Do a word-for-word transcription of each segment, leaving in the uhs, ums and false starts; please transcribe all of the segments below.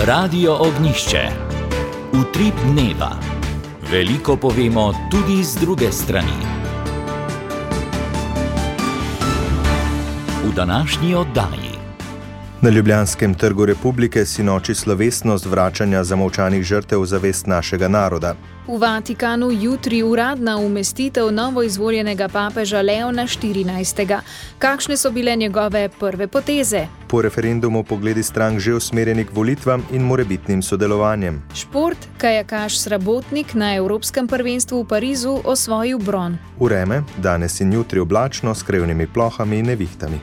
Radio Ognjišče. Utrip dneva. Veliko povemo tudi z druge strani. V današnji oddaji. Na ljubljanskem trgu Republike sinoči slovesnost vračanja zamolčanih žrtev v zavest našega naroda. V Vatikanu jutri uradna umestitev novoizvoljenega papeža Leona štirinajstega. Kakšne so bile njegove prve poteze? Po referendumu pogledi strank že usmerjeni k volitvam in morebitnim sodelovanjem. Šport, kajakaš Srabotnik na Evropskem prvenstvu v Parizu osvojil bron. Vreme, danes in jutri oblačno s krevnimi plohami in nevihtami.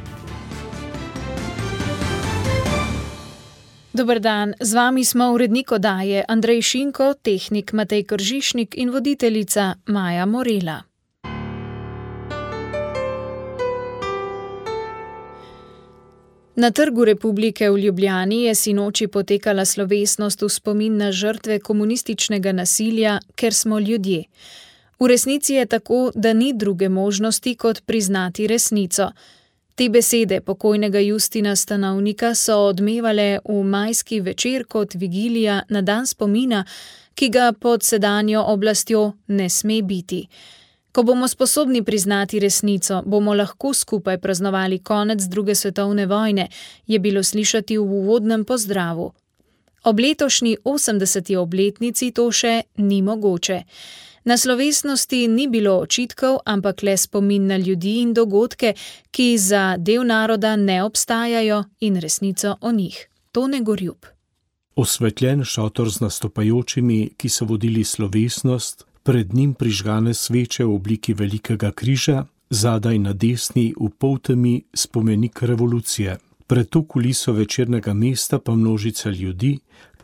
Dober dan, z vami smo urednik oddaje Andrej Šinko, tehnik Matej Kržišnik in voditeljica Maja Morela. Na Trgu Republike v Ljubljani je sinoči potekala slovesnost v spomin na žrtve komunističnega nasilja, ker smo ljudje. V resnici je tako, da ni druge možnosti, kot priznati resnico. Te besede pokojnega Justina Stanovnika so odmevale v majski večer kot vigilija na dan spomina, ki ga pod sedanjo oblastjo ne sme biti. Ko bomo sposobni priznati resnico, bomo lahko skupaj praznovali konec druge svetovne vojne, je bilo slišati v uvodnem pozdravu. Ob letošnji osemdeseti obletnici to še ni mogoče. Na slovesnosti ni bilo očitkov, ampak le spomin na ljudi in dogodke, ki za del naroda ne obstajajo, in resnico o njih. Tone Gorjup. Osvetljen šotor z nastopajočimi, ki so vodili slovesnost, pred njim prižgane sveče v obliki velikega križa, zadaj na desni v poltemi spomenik revolucije. Pred to kuliso večernega mesta pa množica ljudi,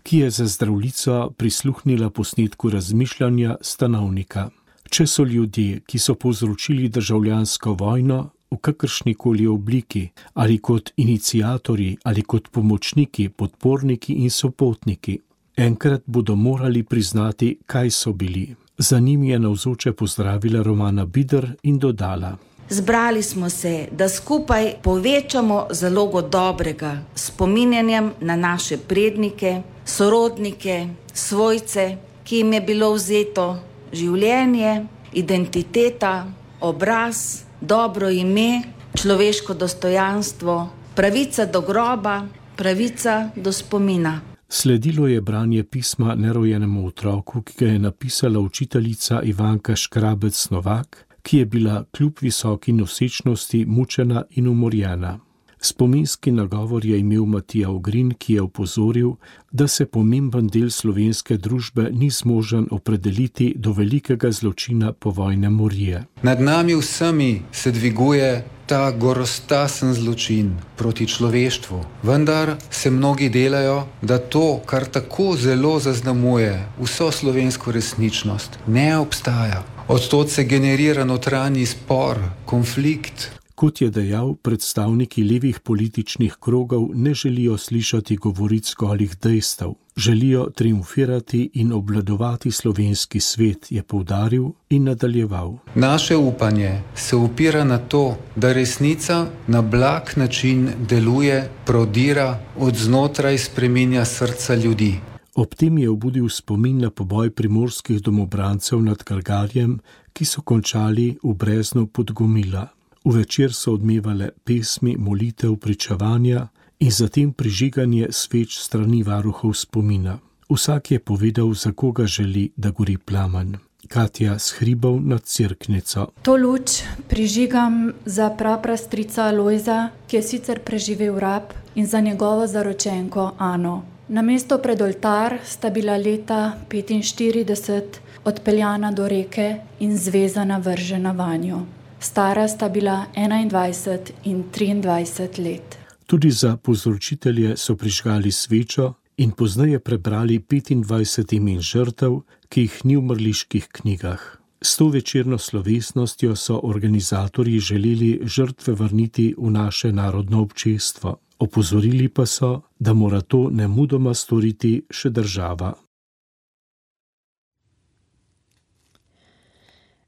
ki je za zdravljico prisluhnila posnetku razmišljanja Stanovnika. Če so ljudje, ki so povzročili državljansko vojno v kakršnikoli obliki, ali kot iniciatorji, ali kot pomočniki, podporniki in sopotniki, enkrat bodo morali priznati, kaj so bili. Za njimi je navzoče pozdravila Romana Bider in dodala: Zbrali smo se, da skupaj povečamo zalogo dobrega s spominjanjem na naše prednike, sorodnike, svojce, ki jim je bilo vzeto življenje, identiteta, obraz, dobro ime, človeško dostojanstvo, pravica do groba, pravica do spomina. Sledilo je branje pisma nerojenemu otroku, ki ga je napisala učiteljica Ivanka Škrabec Novak, ki je bila kljub visoki nosečnosti mučena in umorjena. Spominski nagovor je imel Matija Ogrin, ki je opozoril, da se pomemben del slovenske družbe ni zmožen opredeliti do velikega zločina povojne morije. Nad nami vsemi se dviguje ta gorostasen zločin proti človeštvu, vendar se mnogi delajo, da to, kar tako zelo zaznamuje vso slovensko resničnost, ne obstaja. Odtod se generira notranji spor, konflikt. Kot je dejal, predstavniki levih političnih krogov ne želijo slišati govoric golih dejstev. Želijo triumfirati in obvladovati slovenski svet, je poudaril in nadaljeval. Naše upanje se upira na to, da resnica na blag način deluje, prodira, od znotraj spreminja srca ljudi. Ob tem je obudil spomin na poboj primorskih domobrancev nad Calgarjem, ki so končali v breznu Podgomila. V večer so odmevale pesmi, molitev, pričevanja in zatem prižiganje sveč strani varuhov spomina. Vsak je povedal, za koga želi, da gori plamen. Katja s Hribov nad Cerknico. To luč prižigam za praprastrica Lojza, ki je sicer preživel rab, in za njegovo zaročenko Ano. Na mesto pred oltar sta bila leta petinštirideset odpeljana do reke in zvezana vržena vanjo. Stara sta bila enaindvajset in triindvajset let. Tudi za povzročitelje so prižgali svečo in pozneje prebrali petindvajset imen žrtev, ki jih ni v mrliških knjigah. S to večerno slovesnostjo so organizatorji želeli žrtve vrniti v naše narodno občestvo. Opozorili pa so, da mora to nemudoma storiti še država.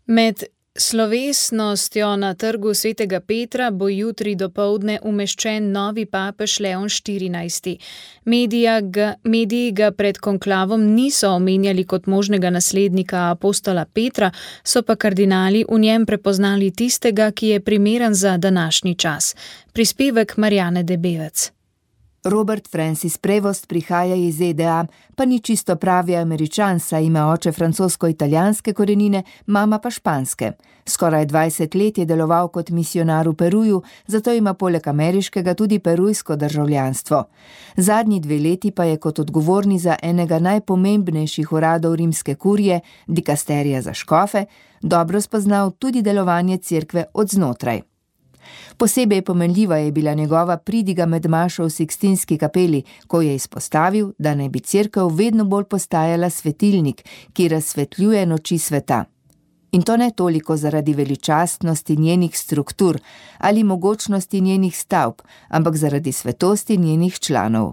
Med Slovesnostjo na trgu svetega Petra bo jutri dopoldne umeščen novi papež Leon štirinajsti. Medija ga, mediji ga pred konklavom niso omenjali kot možnega naslednika apostola Petra, so pa kardinali v njem prepoznali tistega, ki je primeren za današnji čas. Prispevek Marjane Debevec. Robert Francis Prevost prihaja iz Z D A, pa ni čisto pravi Američan, saj ima oče francosko-italijanske korenine, mama pa španske. Skoraj dvajset let je deloval kot misionar v Peruju, zato ima poleg ameriškega tudi perujsko državljanstvo. Zadnji dve leti pa je kot odgovorni za enega najpomembnejših uradov rimske kurije, dikasterija za škofe, dobro spoznal tudi delovanje cerkve od znotraj. Posebej pomenljiva je bila njegova pridiga med mašo v Sikstinski kapeli, ko je izpostavil, da naj bi cerkev vedno bolj postajala svetilnik, ki razsvetljuje noči sveta. In to ne toliko zaradi veličastnosti njenih struktur ali mogočnosti njenih stavb, ampak zaradi svetosti njenih članov.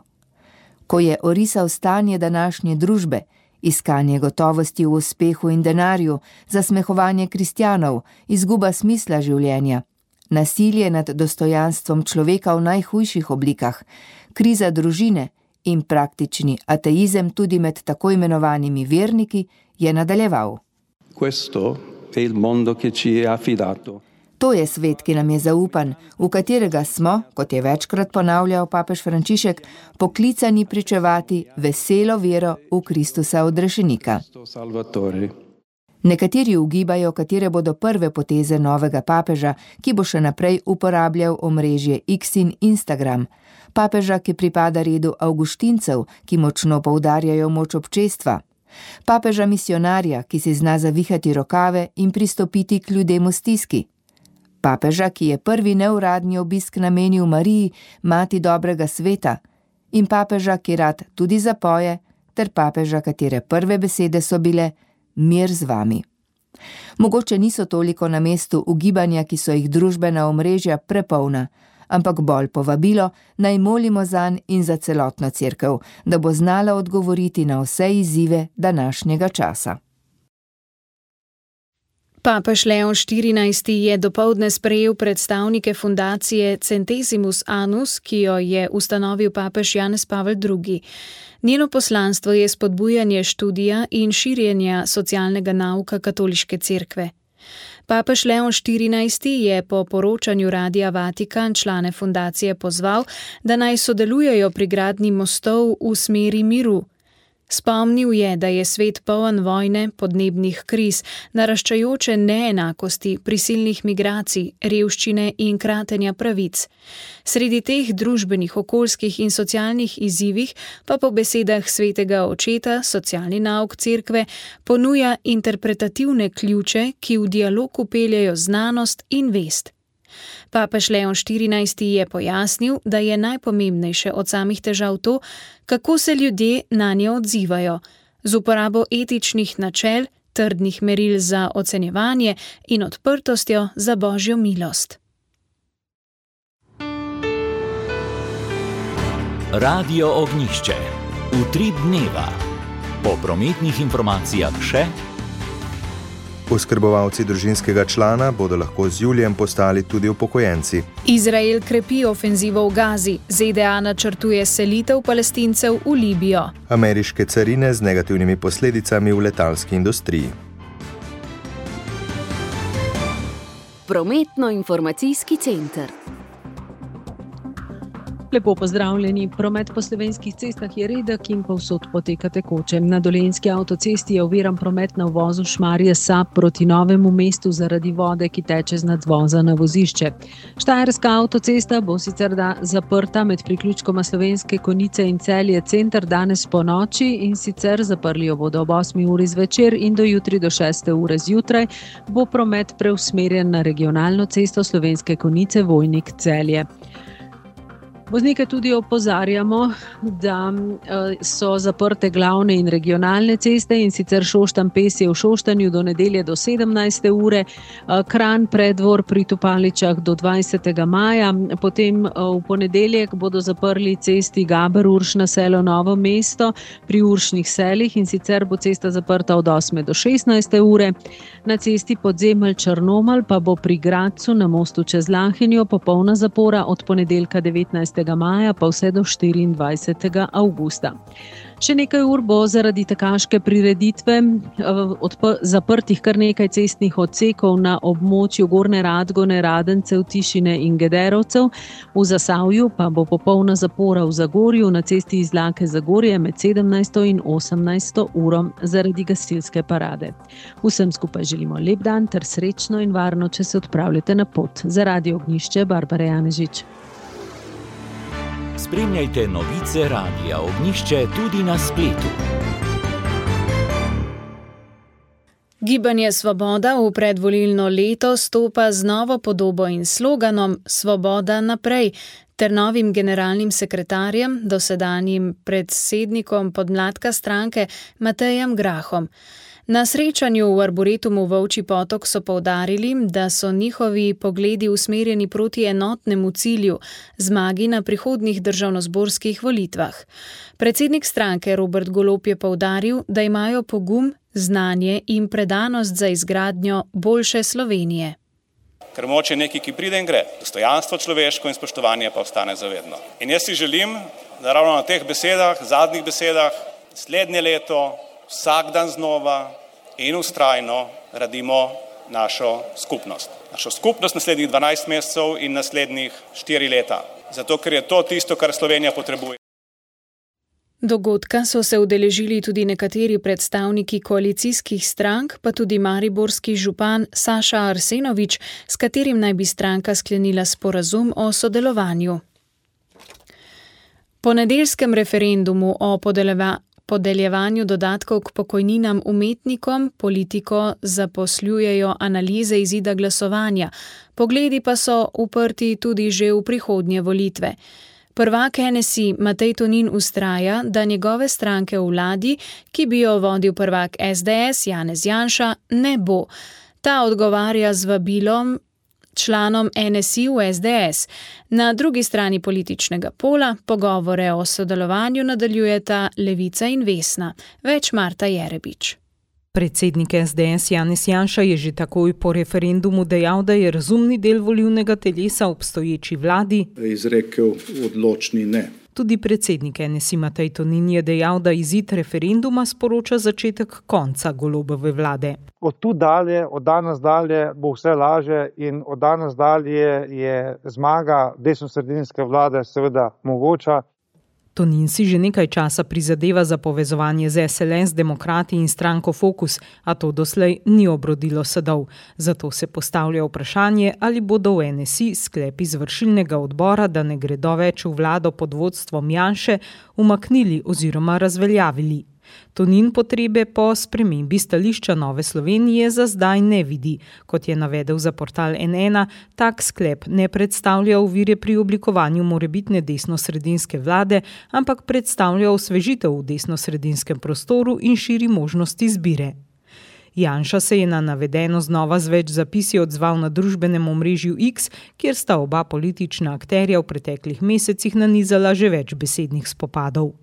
Ko je orisal stanje današnje družbe, iskanje gotovosti v uspehu in denarju, zasmehovanje kristjanov, izguba smisla življenja, nasilje nad dostojanstvom človeka v najhujših oblikah, kriza družine in praktični ateizem tudi med tako imenovanimi verniki, je nadaljeval. Questo è il mondo che ci è affidato. To je svet, ki nam je zaupan, v katerega smo, kot je večkrat ponavljal papež Frančišek, poklicani pričevati veselo vero v Kristusa odrešenika. Nekateri ugibajo, katere bodo prve poteze novega papeža, ki bo še naprej uporabljal omrežje X in Instagram. Papeža, ki pripada redu avguštincev, ki močno poudarjajo moč občestva. Papeža misionarja, ki si zna zavihati rokave in pristopiti k ljudem v stiski. Papeža, ki je prvi neuradni obisk namenil Mariji, mati dobrega sveta. In papeža, ki rad tudi zapoje, ter papeža, katere prve besede so bile mir z vami. Mogoče niso toliko na mestu ugibanja, ki so jih družbena omrežja prepolna, ampak bolj povabilo, naj molimo zanj in za celotno cerkev, da bo znala odgovoriti na vse izzive današnjega časa. Papež Leon štirinajsti je dopoldne sprejel predstavnike fundacije Centesimus Annus, ki jo je ustanovil papež Janez Pavel drugi. Njeno poslanstvo je spodbujanje študija in širjenja socialnega nauka katoliške cerkve. Papež Leon štirinajsti je po poročanju Radia Vatikan člane fundacije pozval, da naj sodelujejo pri gradnji mostov v smeri miru. Spomnil je, da je svet poln vojne, podnebnih kriz, naraščajoče neenakosti, prisilnih migracij, revščine in kratenja pravic. Sredi teh družbenih, okoljskih in socialnih izzivih pa po besedah svetega očeta socialni nauk cerkve ponuja interpretativne ključe, ki v dialog vpeljajo znanost in vest. Papež Leon štirinajsti je pojasnil, da je najpomembnejše od samih težav to, kako se ljudje nanje odzivajo, z uporabo etičnih načel, trdnih meril za ocenjevanje in odprtostjo za Božjo milost. Radio Ognjišče. Utrip dneva. Po prometnih informacijah še: Oskrbovalci družinskega člana bodo lahko z julijem postali tudi upokojenci. Izrael krepi ofenzivo v Gazi, Z D A načrtuje selitev Palestincev v Libijo. Ameriške carine z negativnimi posledicami v letalski industriji. Prometno-informacijski center. Lepo pozdravljeni. Promet po slovenskih cestah je redek in povsod poteka tekoče. Na Dolenjski avtocesti je oviran promet na uvozu Šmarje-Sap proti Novemu mestu zaradi vode, ki teče z nadvoza na vozišče. Štajerska avtocesta bo sicer da zaprta med priključkoma Slovenske Konjice in Celje center danes po noči, in sicer zaprli jo bodo ob osmi uri zvečer in do jutri do šeste ure zjutraj bo promet preusmerjen na regionalno cesto Slovenske Konjice Vojnik Celje. Voznike tudi opozarjamo, da so zaprte glavne in regionalne ceste, in sicer Šoštanj-Pesje v Šoštanju do nedelje do sedemnajste ure, Kranj predvor pri Topaličah do dvajsetega maja, potem v ponedeljek bodo zaprli cesti Gaber-Urš na selo Novo mesto pri Uršnih selih, in sicer bo cesta zaprta od osme do šestnajste ure. Na cesti Podzemelj-Črnomelj pa bo pri Gradcu na mostu čez Lahinjo popolna zapora od ponedeljka devetnajstega maja pa vse do štiriindvajsetega avgusta. Še nekaj ur bo zaradi tekaške prireditve odp- zaprtih kar nekaj cestnih odsekov na območju Gornje Radgone, Radencev, Tišine in Gederovcev. V Zasavju pa bo popolna zapora v Zagorju na cesti iz Lake Zagorje med sedemnajsto in osemnajsto uro zaradi gasilske parade. Vsem skupaj želimo lep dan ter srečno in varno, če se odpravljate na pot. Za Radio Ognjišče, Barbara Janežič. Spremljajte novice Radia Ognjišče tudi na spletu. Gibanje Svoboda v predvolilno leto stopa z novo podobo in sloganom Svoboda naprej ter novim generalnim sekretarjem, dosedanjim predsednikom podmladka stranke Matejem Grahom. Na srečanju v Arboretumu Volčji Potok so poudarili, da so njihovi pogledi usmerjeni proti enotnemu cilju, zmagi na prihodnjih državnozborskih volitvah. Predsednik stranke Robert Golob je poudaril, da imajo pogum, znanje in predanost za izgradnjo boljše Slovenije. Ker moč je nekaj, ki pride in gre. Dostojanstvo človeško in spoštovanje pa ostane zavedno. In jaz si želim, da ravno na teh besedah, zadnjih besedah, slednje leto, vsak dan znova in vztrajno radimo našo skupnost. Našo skupnost naslednjih dvanajst mesecev in naslednjih štiri leta. Zato, ker je to tisto, kar Slovenija potrebuje. Dogodka so se udeležili tudi nekateri predstavniki koalicijskih strank, pa tudi mariborski župan Saša Arsenovič, s katerim naj bi stranka sklenila sporazum o sodelovanju. Po nedeljskem referendumu o podeljevanju podeljevanju dodatkov k pokojninam umetnikom politiko zaposljujejo analize izida glasovanja, pogledi pa so uprti tudi že v prihodnje volitve. Prvak N S I Matej Tonin vztraja, da njegove stranke v vladi, ki bi jo vodil prvak S D S Janez Janša, ne bo. Ta odgovarja z vabilom članom N S I v S D S. Na drugi strani političnega pola pogovore o sodelovanju nadaljujeta Levica in Vesna. Več Marta Jerebič. Predsednik S D S Janez Janša je že takoj po referendumu dejal, da je razumni del volilnega telesa obstoječi vladi izrekel odločni ne. Tudi predsednik N S I Matej Tonin je dejal, da izid referenduma sporoča začetek konca Golobove vlade. Od tu dalje, od danes dalje bo vse laže in od danes dalje je zmaga desnosredinske vlade seveda mogoča. Tonin si že nekaj časa prizadeva za povezovanje z S L S, demokrati in stranko Fokus, a to doslej ni obrodilo sadov. Zato se postavlja vprašanje, ali bodo v N S I sklep izvršilnega odbora, da ne gredo več v vlado pod vodstvom Janše, umaknili oziroma razveljavili. Tonin potrebe po spremembi stališča Nove Slovenije za zdaj ne vidi. Kot je navedel za portal N ena, tak sklep ne predstavlja ovire pri oblikovanju morebitne desnosredinske vlade, ampak predstavlja osvežitev v desnosredinskem prostoru in širi možnosti izbire. Janša se je na navedeno znova z več zapisi odzval na družbenem omrežju X, kjer sta oba politična akterja v preteklih mesecih nanizala že več besednih spopadov.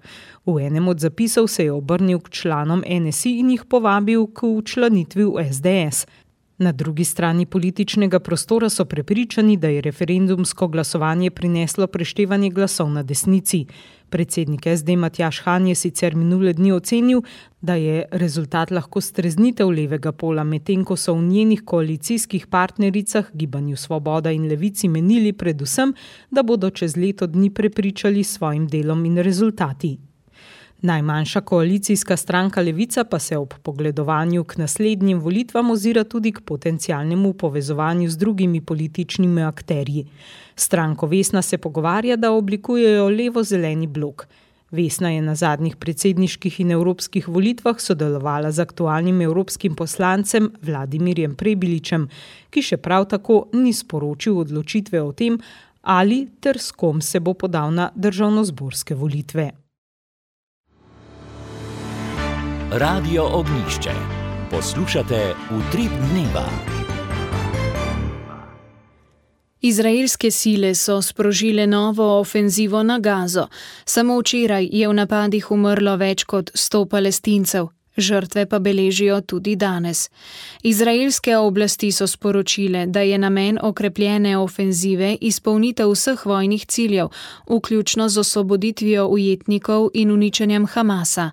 V enem od zapisov se je obrnil k članom N S I in jih povabil k včlanitvi v S D S. Na drugi strani političnega prostora so prepričani, da je referendumsko glasovanje prineslo preštevanje glasov na desnici. Predsednik S D Matjaž Han je sicer minule dni ocenil, da je rezultat lahko streznitev levega pola, medtem ko so v njenih koalicijskih partnericah Gibanju Svoboda in Levici menili predvsem, da bodo čez leto dni prepričali s svojim delom in rezultati. Najmanjša koalicijska stranka Levica pa se ob pogledovanju k naslednjim volitvam ozira tudi k potencialnemu povezovanju z drugimi političnimi akterji. Stranko Vesna se pogovarja, da oblikujejo levo-zeleni blok. Vesna je na zadnjih predsedniških in evropskih volitvah sodelovala z aktualnim evropskim poslancem Vladimirjem Prebiličem, ki še prav tako ni sporočil odločitve o tem, ali ter s kom se bo podal na državnozborske volitve. Radio Ognjišče. Poslušate Utrip dneva. Izraelske sile so sprožile novo ofenzivo na Gazo. Samo včeraj je v napadih umrlo več kot sto Palestincev. Žrtve pa beležijo tudi danes. Izraelske oblasti so sporočile, da je namen okrepljene ofenzive izpolnitev vseh vojnih ciljev, vključno z osvoboditvijo ujetnikov in uničenjem Hamasa.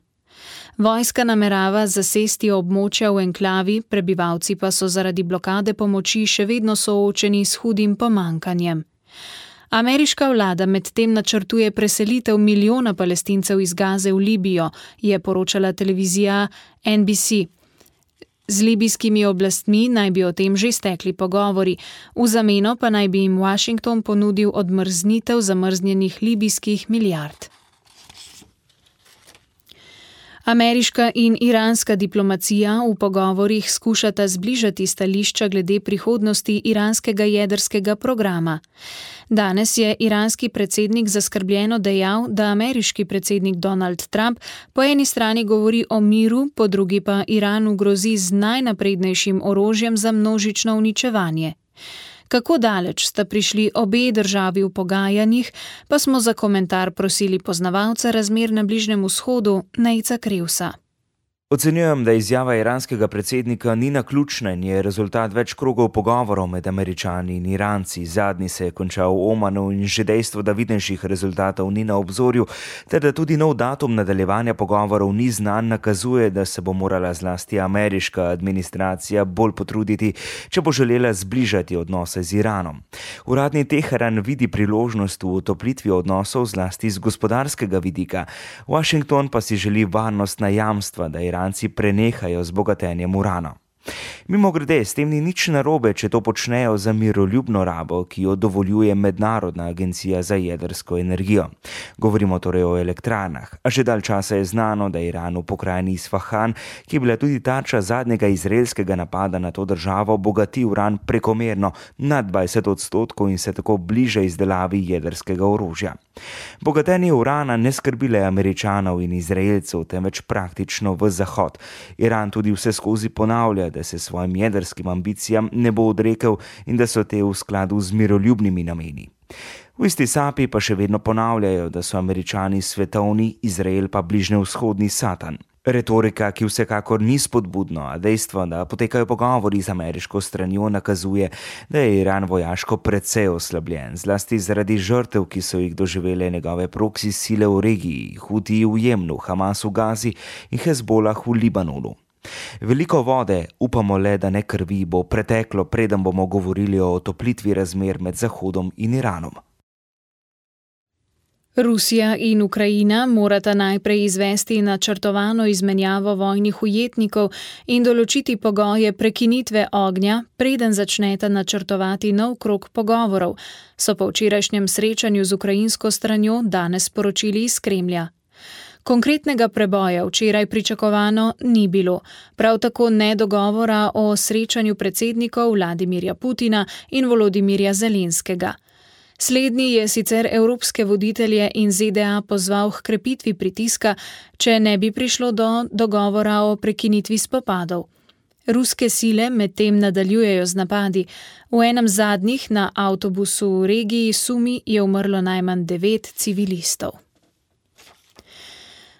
Vojska namerava zasesti območja v enklavi, prebivalci pa so zaradi blokade pomoči še vedno soočeni s hudim pomankanjem. Ameriška vlada medtem načrtuje preselitev milijona Palestincev iz Gaze v Libijo, je poročala televizija N B C. Z libijskimi oblastmi naj bi o tem že stekli pogovori, v zameno pa naj bi jim Washington ponudil odmrznitev zamrznjenih libijskih milijard. Ameriška in iranska diplomacija v pogovorih skušata zbližati stališča glede prihodnosti iranskega jedrskega programa. Danes je iranski predsednik zaskrbljeno dejal, da ameriški predsednik Donald Trump po eni strani govori o miru, po drugi pa Iranu grozi z najnaprednejšim orožjem za množično uničevanje. Kako daleč sta prišli obe državi v pogajanjih, pa smo za komentar prosili poznavalca razmer na Bližnjem vzhodu, Nejca Krevsa. Ocenjujem, da izjava iranskega predsednika ni naključna in je rezultat več krogov pogovorov med Američani in Iranci. Zadnji se je končal v Omanu in že dejstvo, da vidnejših rezultatov ni na obzorju, ter da tudi nov datum nadaljevanja pogovorov ni znan, nakazuje, da se bo morala zlasti ameriška administracija bolj potruditi, če bo želela zbližati odnose z Iranom. Uradni Teheran vidi priložnost v utoplitvi odnosov zlasti z gospodarskega vidika. Washington pa si želi varnostna jamstva, da Iran Iranci prenehajo z bogatenjem urana. Mimogrede, s tem ni nič narobe, če to počnejo za miroljubno rabo, ki jo dovoljuje Mednarodna agencija za jedrsko energijo. Govorimo torej o elektrarnah, a že dalj časa je znano, da Iran v pokrajini Isfahan, ki je bila tudi tarča zadnjega izraelskega napada na to državo, bogati uran prekomerno nad dvajset odstotkov in se tako bliže izdelavi jedrskega orožja. Bogatenje urana ne skrbi le Američanov in Izraelcev, temveč praktično v Zahod. Iran tudi vse skozi ponavlja, da se svojim jedrskim ambicijam ne bo odrekel in da so te v skladu z miroljubnimi nameni. V isti sapi pa še vedno ponavljajo, da so Američani svetovni, Izrael pa bližnjevzhodni satan. Retorika, ki vsekakor ni spodbudno, a dejstvo, da potekajo pogovori z ameriško stranjo, nakazuje, da je Iran vojaško precej oslabljen, zlasti zaradi žrtev, ki so jih doživele njegove proksi sile v regiji, Hutiji v Jemnu, Hamas v Gazi in Hezbolah v Libanonu. Veliko vode, upamo le, da ne krvi, bo preteklo, preden bomo govorili o otoplitvi razmer med Zahodom in Iranom. Rusija in Ukrajina morata najprej izvesti načrtovano izmenjavo vojnih ujetnikov in določiti pogoje prekinitve ognja, preden začneta načrtovati nov krog pogovorov, so po včerajšnjem srečanju z ukrajinsko stranjo danes sporočili iz Kremlja. Konkretnega preboja včeraj pričakovano ni bilo, prav tako ne dogovora o srečanju predsednikov Vladimirja Putina in Volodimirja Zelenskega. Slednji je sicer evropske voditelje in Z D A pozval k krepitvi pritiska, če ne bi prišlo do dogovora o prekinitvi spopadov. Ruske sile medtem nadaljujejo z napadi. V enem zadnjih na avtobusu v regiji Sumi je umrlo najmanj devet civilistov.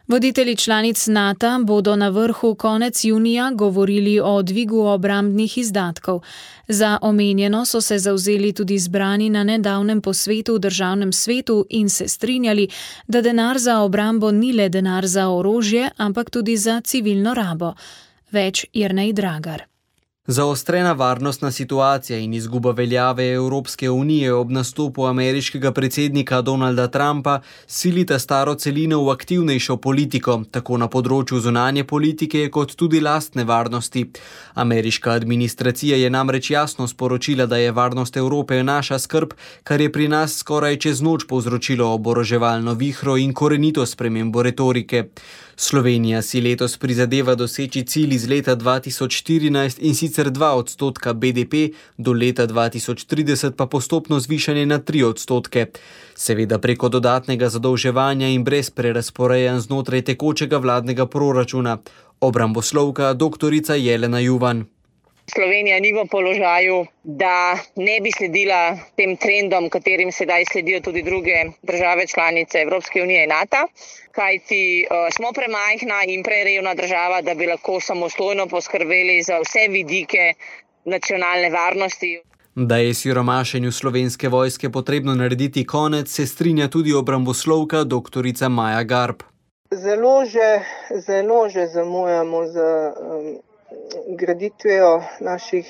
Voditelji članic NATO bodo na vrhu konec junija govorili o dvigu obrambnih izdatkov. Za omenjeno so se zavzeli tudi zbrani na nedavnem posvetu v državnem svetu in se strinjali, da denar za obrambo ni le denar za orožje, ampak tudi za civilno rabo. Več Jernej Dragar. Zaostrena varnostna situacija in izguba veljave Evropske unije ob nastopu ameriškega predsednika Donalda Trumpa silita staro celino v aktivnejšo politiko, tako na področju zunanje politike kot tudi lastne varnosti. Ameriška administracija je namreč jasno sporočila, da je varnost Evrope naša skrb, kar je pri nas skoraj čez noč povzročilo oboroževalno vihro in korenito spremembo retorike. Slovenija si letos prizadeva doseči cilj iz leta dva tisoč štirinajst in sicer dva odstotka B D P, do leta dva tisoč trideset pa postopno zvišanje na tri odstotke. Seveda preko dodatnega zadolževanja in brez prerazporejanj znotraj tekočega vladnega proračuna. Obramboslovka doktorica Jelena Juvan. Slovenija ni v položaju, da ne bi sledila tem trendom, katerim sedaj sledijo tudi druge države članice Evropske unije in NATO, kajti uh, smo premajhna in prerevna država, da bi lahko samostojno poskrbeli za vse vidike nacionalne varnosti. Da je siromašenju Slovenske vojske potrebno narediti konec, se strinja tudi obramboslovka doktorica Maja Garb. Zelo že, zelo že zamujamo z um, graditvijo naših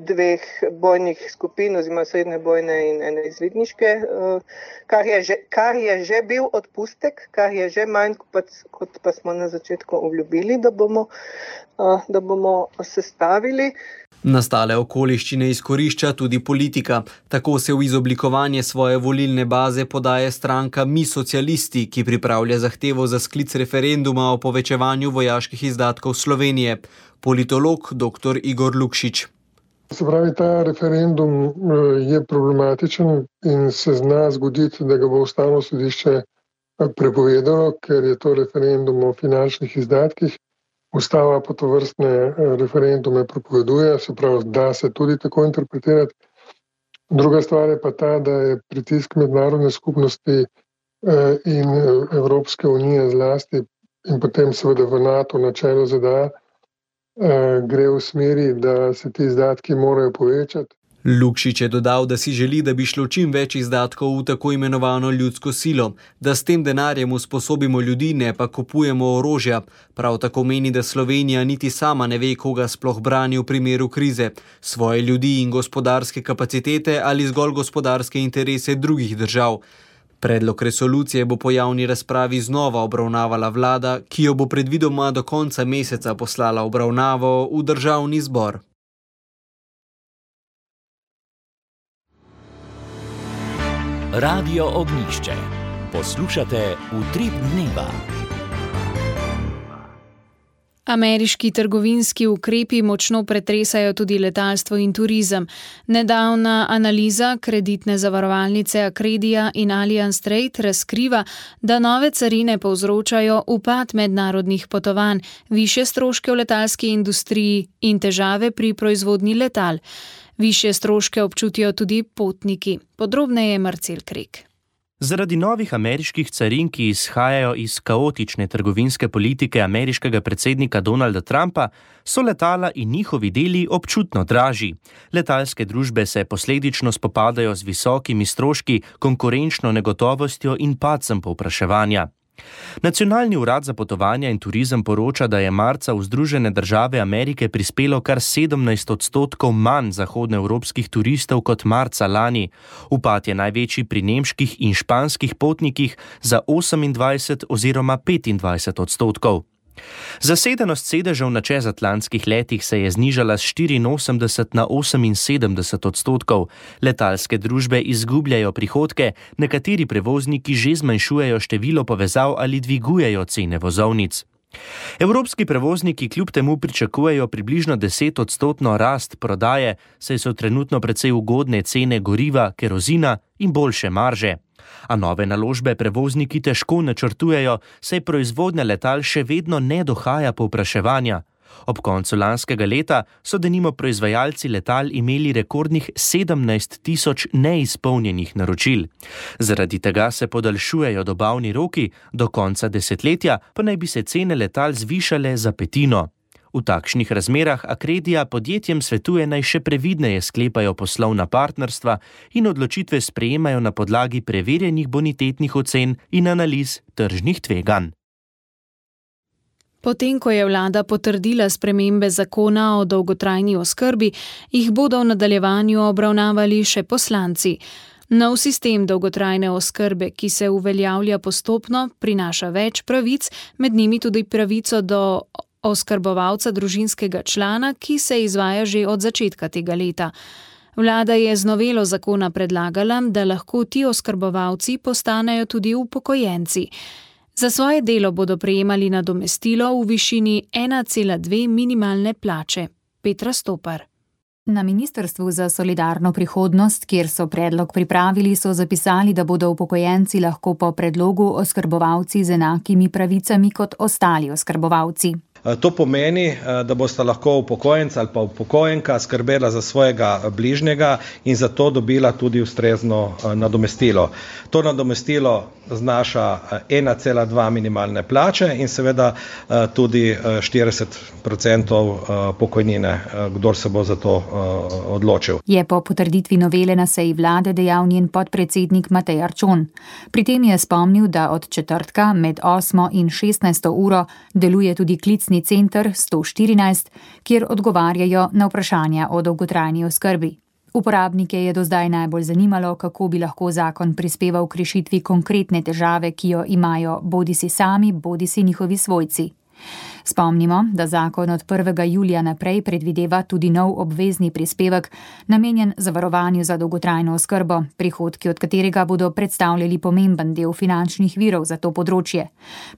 dveh bojnih skupin, oziroma srednje bojne in ene izvidniške, kar je že, kar je že bil odpustek, kar je že manj, kot pa smo na začetku obljubili, da bomo, da bomo sestavili. Nastale okoliščine izkorišča tudi politika. Tako se v izoblikovanje svoje volilne baze podaje stranka Mi socialisti, ki pripravlja zahtevo za sklic referenduma o povečevanju vojaških izdatkov Slovenije. Politolog dr. Igor Lukšič. Se pravi, ta referendum je problematičen in se zna zgoditi, da ga bo Ustavno sodišče prepovedalo, ker je to referendum o finančnih izdatkih. Ustava pa tovrstne referendume prepoveduje, se pravi, da se tudi tako interpretirati. Druga stvar je pa ta, da je pritisk mednarodne skupnosti in Evropske unije zlasti in potem seveda v NATO na čelu Z D A gre v smeri, da se ti izdatki morajo povečati. Lukšič je dodal, da si želi, da bi šlo čim več izdatkov v tako imenovano ljudsko silo, da s tem denarjem usposobimo ljudi, ne pa kupujemo orožja. Prav tako meni, da Slovenija niti sama ne ve, koga sploh brani v primeru krize, svoje ljudi in gospodarske kapacitete ali zgolj gospodarske interese drugih držav. Predlog resolucije bo po javni razpravi znova obravnavala vlada, ki jo bo predvidoma do konca meseca poslala obravnavo v državni zbor. Radio Ognjišče. Poslušate Utrip dneva. Ameriški trgovinski ukrepi močno pretresajo tudi letalstvo in turizem. Nedavna analiza kreditne zavarovalnice Accredia in Allianz Trade razkriva, da nove carine povzročajo upad mednarodnih potovanj, višje stroške v letalski industriji in težave pri proizvodnji letal. Višje stroške občutijo tudi potniki. Podrobneje Marcel Krek. Zaradi novih ameriških carin, ki izhajajo iz kaotične trgovinske politike ameriškega predsednika Donalda Trumpa, so letala in njihovi deli občutno dražji. Letalske družbe se posledično spopadajo z visokimi stroški, konkurenčno negotovostjo in padcem povpraševanja. Nacionalni urad za potovanja in turizem poroča, da je marca v Združene države Amerike prispelo kar sedemnajst odstotkov manj zahodnoevropskih turistov kot marca lani. Upad je največji pri nemških in španskih potnikih za osemindvajset oziroma petindvajset odstotkov. Zasedenost sedežev na čezatlantskih letih se je znižala s štiriinosemdeset na oseminsedemdeset odstotkov. Letalske družbe izgubljajo prihodke, nekateri prevozniki že zmanjšujejo število povezav ali dvigujejo cene vozovnic. Evropski prevozniki kljub temu pričakujejo približno deset odstotno rast prodaje, saj so trenutno precej ugodne cene goriva, kerozina in boljše marže. A nove naložbe prevozniki težko načrtujejo, saj proizvodnja letal še vedno ne dohaja povpraševanja. Ob koncu lanskega leta so denimo proizvajalci letal imeli rekordnih sedemnajst tisoč neizpolnjenih naročil. Zaradi tega se podaljšujejo dobavni roki, do konca desetletja pa naj bi se cene letal zvišale za petino. V takšnih razmerah Accredia podjetjem svetuje naj še previdneje sklepajo poslovna partnerstva in odločitve sprejemajo na podlagi preverjenih bonitetnih ocen in analiz tržnih tveganj. Potem, ko je vlada potrdila spremembe zakona o dolgotrajni oskrbi, jih bodo v nadaljevanju obravnavali še poslanci. Nov sistem dolgotrajne oskrbe, ki se uveljavlja postopno, prinaša več pravic, med njimi tudi pravico do oskrbovalca družinskega člana, ki se izvaja že od začetka tega leta. Vlada je z novelo zakona predlagala, da lahko ti oskrbovalci postanejo tudi upokojenci. Za svoje delo bodo prejemali nadomestilo v višini ena cela dve minimalne plače. Petra Stopar. Na Ministrstvu za solidarno prihodnost, kjer so predlog pripravili, so zapisali, da bodo upokojenci lahko po predlogu oskrbovalci z enakimi pravicami kot ostali oskrbovalci. To pomeni, da bosta lahko upokojenca ali pa upokojenka skrbela za svojega bližnjega in za to dobila tudi ustrezno nadomestilo. To nadomestilo znaša ena cela dva minimalne plače in seveda tudi štirideset procentov pokojnine, kdor se bo za to odločil. Je po potrditvi novele na seji vlade dejal njen podpredsednik Matej Arčon. Pri tem je spomnil, da od četrtka med osmo in šestnajsto uro deluje tudi klicni center sto štirinajst, kjer odgovarjajo na vprašanja o dolgotrajni oskrbi. Uporabnike je do zdaj najbolj zanimalo, kako bi lahko zakon prispeval k rešitvi konkretne težave, ki jo imajo bodisi sami, bodisi njihovi svojci. Spomnimo, da zakon od prvega julija naprej predvideva tudi nov obvezni prispevek, namenjen zavarovanju za dolgotrajno oskrbo, prihodki od katerega bodo predstavljali pomemben del finančnih virov za to področje.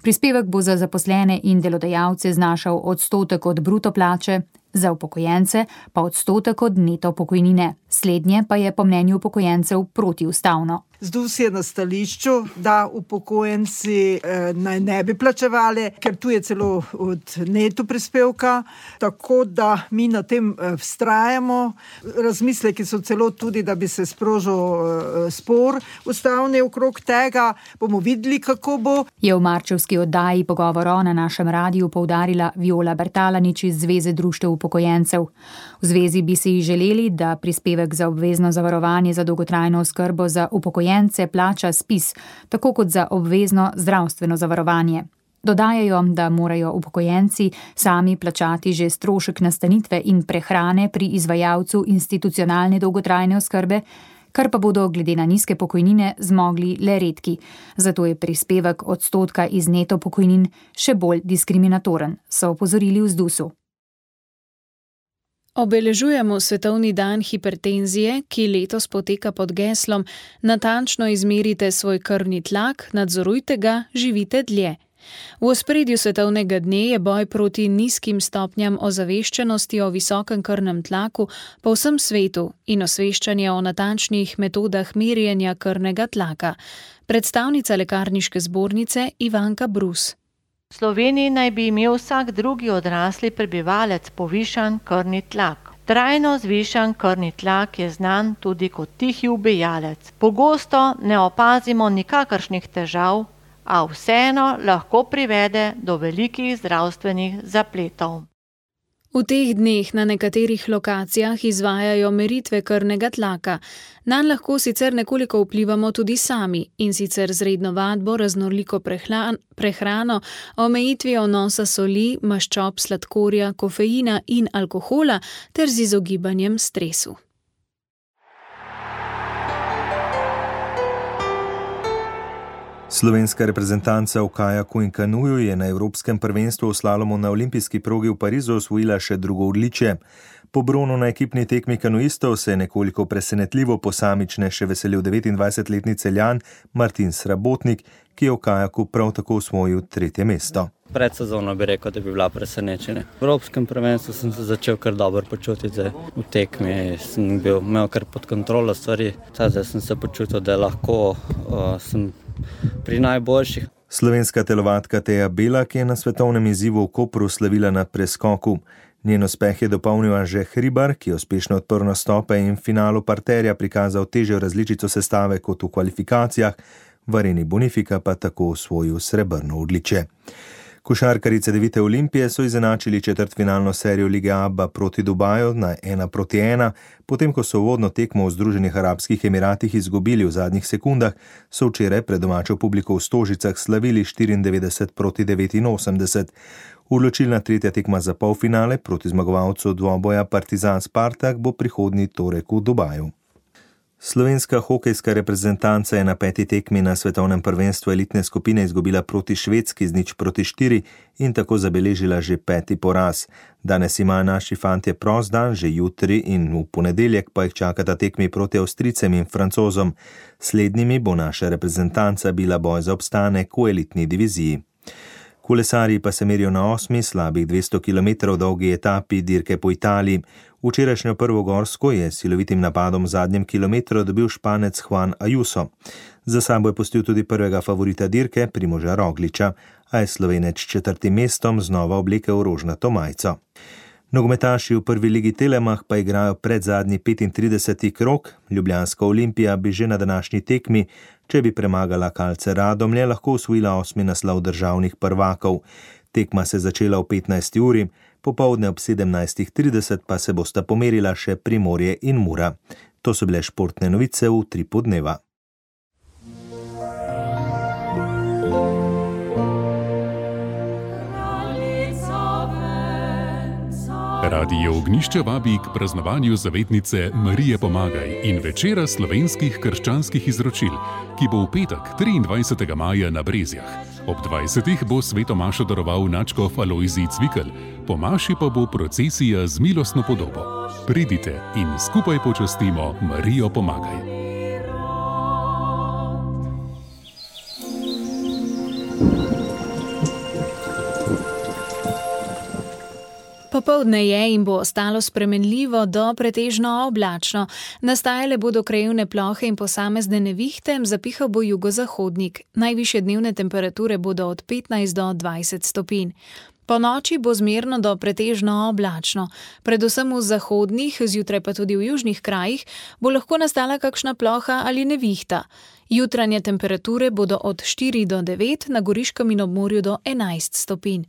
Prispevek bo za zaposlene in delodajalce znašal odstotek od bruto plače, za upokojence pa odstotek od neto pokojnine. Slednje pa je po mnenju upokojencev protiustavno. ZDUS je na stališču, da upokojenci eh, naj ne bi plačevali, ker tu je celo od neto prispevka, tako da mi na tem eh, vztrajamo. Razmisleki so celo tudi, da bi se sprožil eh, spor ustavni okrog tega. Bomo videli, kako bo. Je v marčevski oddaji Pogovoro na našem radiju poudarila Viola Bertalanič iz Zveze društev upokojencev. V zvezi bi si želeli, da prispevek za obvezno zavarovanje za dolgotrajno oskrbo za upokojence plača SPIZ, tako kot za obvezno zdravstveno zavarovanje. Dodajajo, da morajo upokojenci sami plačati že strošek nastanitve in prehrane pri izvajalcu institucionalne dolgotrajne oskrbe, kar pa bodo glede na nizke pokojnine zmogli le redki. Zato je prispevek odstotka iz neto pokojnin še bolj diskriminatoren, so opozorili v ZDUS-u. Obeležujemo Svetovni dan hipertenzije, ki letos poteka pod geslom Natančno izmerite svoj krvni tlak, nadzorujte ga, živite dlje. V ospredju svetovnega dne je boj proti nizkim stopnjam ozaveščenosti o visokem krvnem tlaku po vsem svetu in osveščanje o natančnih metodah merjenja krvnega tlaka. Predstavnica lekarniške zbornice Ivanka Brus. V Sloveniji naj bi imel vsak drugi odrasli prebivalec povišan krvni tlak. Trajno zvišan krvni tlak je znan tudi kot tihi ubijalec. Pogosto ne opazimo nikakršnih težav, a vseeno lahko privede do velikih zdravstvenih zapletov. V teh dneh na nekaterih lokacijah izvajajo meritve krvnega tlaka. Nanj lahko sicer nekoliko vplivamo tudi sami, in sicer z redno vadbo, raznoliko prehrano, omejitvijo vnosa soli, maščob, sladkorja, kofeina in alkohola ter z izogibanjem stresu. Slovenska reprezentanca v kajaku in kanuju je na Evropskem prvenstvu v slalomu na olimpijski progi v Parizu osvojila še drugo odličje. Po bronu na ekipni tekmi kanuistov se je nekoliko presenetljivo posamične še veselil devetindvajsetletni Celjan Martin Srabotnik, ki je v kajaku prav tako osvojil tretje mesto. Pred sezono bi rekel, da bi bila presenečenja. V Evropskem prvenstvu sem se začel kar dobro počutiti, v tekmi sem bil, imel kar pod kontrolo stvari, zdaj sem se počutil, da lahko uh, sem pri najboljših. Slovenska telovadka Teja Belak je na svetovnem izzivu v Kopru slavila na preskoku. Njen uspeh je dopolnil Anže Hribar, ki je uspešno odprl nastope in v finalu parterja prikazal težjo različico sestave kot v kvalifikacijah, v areni Bonifika pa tako osvojil srebrno odličje. Košarkarice devite Olimpije so izenačili četrtfinalno serijo Lige Aba proti Dubaju na ena proti ena, potem ko so uvodno tekmo v Združenih arabskih Emiratih izgubili v zadnjih sekundah, so včeraj pred domačo publiko v Stožicah slavili štiriindevetdeset proti devetinosemdeset. Odločilna tretja tekma za polfinale proti zmagovalcu dvoboja Partizan Spartak bo prihodnji torek v Dubaju. Slovenska hokejska reprezentanca je na peti tekmi na svetovnem prvenstvu elitne skupine izgubila proti Švedski z nič proti štiri in tako zabeležila že peti poraz. Danes imajo naši fantje prost dan, že jutri in v ponedeljek pa jih čakata tekmi proti Avstrijcem in Francozom. Slednjimi bo naša reprezentanca bila boj za obstanek v elitni diviziji. Kolesarji pa se merijo na osmi, slabih dvesto kilometrov dolgi etapi dirke po Italiji. Včerajšnjo prvo gorsko je silovitim napadom v zadnjem kilometru dobil Španec Juan Ayuso. Za sabo je pustil tudi prvega favorita dirke, Primoža Rogliča, a je Slovenec četrtim mestom znova oblekel rožnato majico. Nogometaši v prvi ligi Telemach pa igrajo pred zadnji petintrideseti krog. Ljubljanska Olimpija bi že na današnji tekmi, če bi premagala Kalce Radomlje, lahko osvojila osmi naslov državnih prvakov. Tekma se začela v petnajsti uri, popoldne ob sedemnajstih trideset pa se bosta pomerila še Primorje in Mura. To so bile športne novice v Utripu dneva. Radio Ognjišče vabi k praznovanju zavetnice Marije Pomagaj in večera slovenskih krščanskih izročil, ki bo v petek triindvajsetega maja na Brezjah. Ob dvajsetih bo sveto mašo daroval nadškof Alojzij Cvikl, po maši pa bo procesija z milostno podobo. Pridite in skupaj počastimo Marijo Pomagaj. Popoldne je in bo ostalo spremenljivo do pretežno oblačno. Nastajale bodo krajevne plohe in posamezne nevihte, zapihal bo jugozahodnik. Najvišje dnevne temperature bodo od petnajst do dvajset stopinj. Po noči bo zmerno do pretežno oblačno. Predvsem v zahodnih, zjutraj pa tudi v južnih krajih, bo lahko nastala kakšna ploha ali nevihta. Jutranje temperature bodo od štiri do devet, na Goriškem in ob morju do enajst stopinj.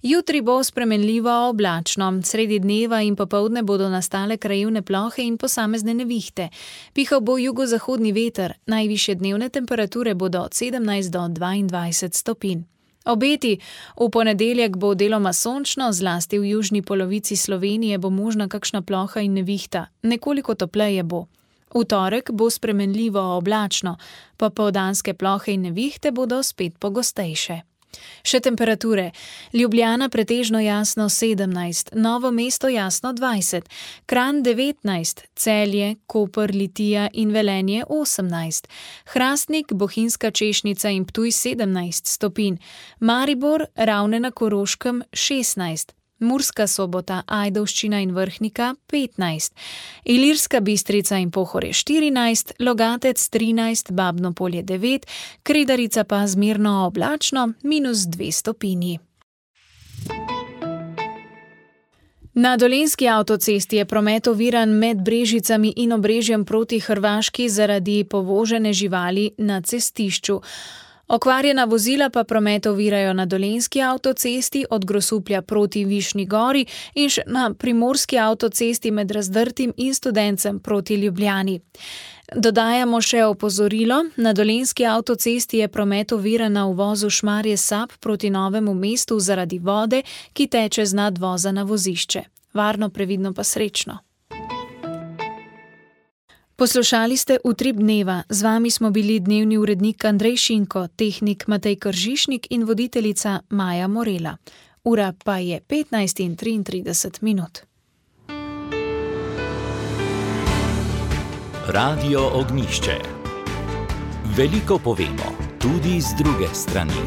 Jutri bo spremenljivo oblačno, sredi dneva in popoldne bodo nastale krajevne plohe in posamezne nevihte. Pihal bo jugozahodni veter, najvišje dnevne temperature bodo od sedemnajst do dvaindvajset stopinj. Obeti: v ponedeljek bo deloma sončno, zlasti v južni polovici Slovenije bo možna kakšna ploha in nevihta, nekoliko topleje bo. V torek bo spremenljivo oblačno, popoldanske plohe in nevihte bodo spet pogostejše. Še temperature: Ljubljana pretežno jasno sedemnajst, Novo mesto jasno dvajset, Kranj devetnajst, Celje, Koper, Litija in Velenje osemnajst, Hrastnik, Bohinjska Češnica in Ptuj sedemnajst stopinj, Maribor, Ravne na Koroškem šestnajst, Murska Sobota, Ajdovščina in Vrhnika petnajst, Ilirska Bistrica in Pohorje štirinajst, Logatec trinajst, Babno Polje devet, Kredarica pa zmerno oblačno minus dve stopinji. Na Dolenjski avtocesti je promet oviran med Brežicami in Obrežjem proti Hrvaški zaradi povožene živali na cestišču. Okvarjena vozila pa promet ovirajo na Dolenjski avtocesti od Grosuplja proti Višnji Gori in še na Primorski avtocesti med Razdrtim in Studencem proti Ljubljani. Dodajamo še opozorilo: na Dolenjski avtocesti je promet oviran na uvozu Šmarje Sap proti Novemu mestu zaradi vode, ki teče z nadvoza na vozišče. Varno, previdno pa srečno. Poslušali ste Utrip dneva, z vami smo bili dnevni urednik Andrej Šinko, tehnik Matej Kržišnik in voditeljica Maja Morela. Ura pa je petnajst in triintrideset minut. Radio Ognjišče. Veliko povemo, tudi z druge strani.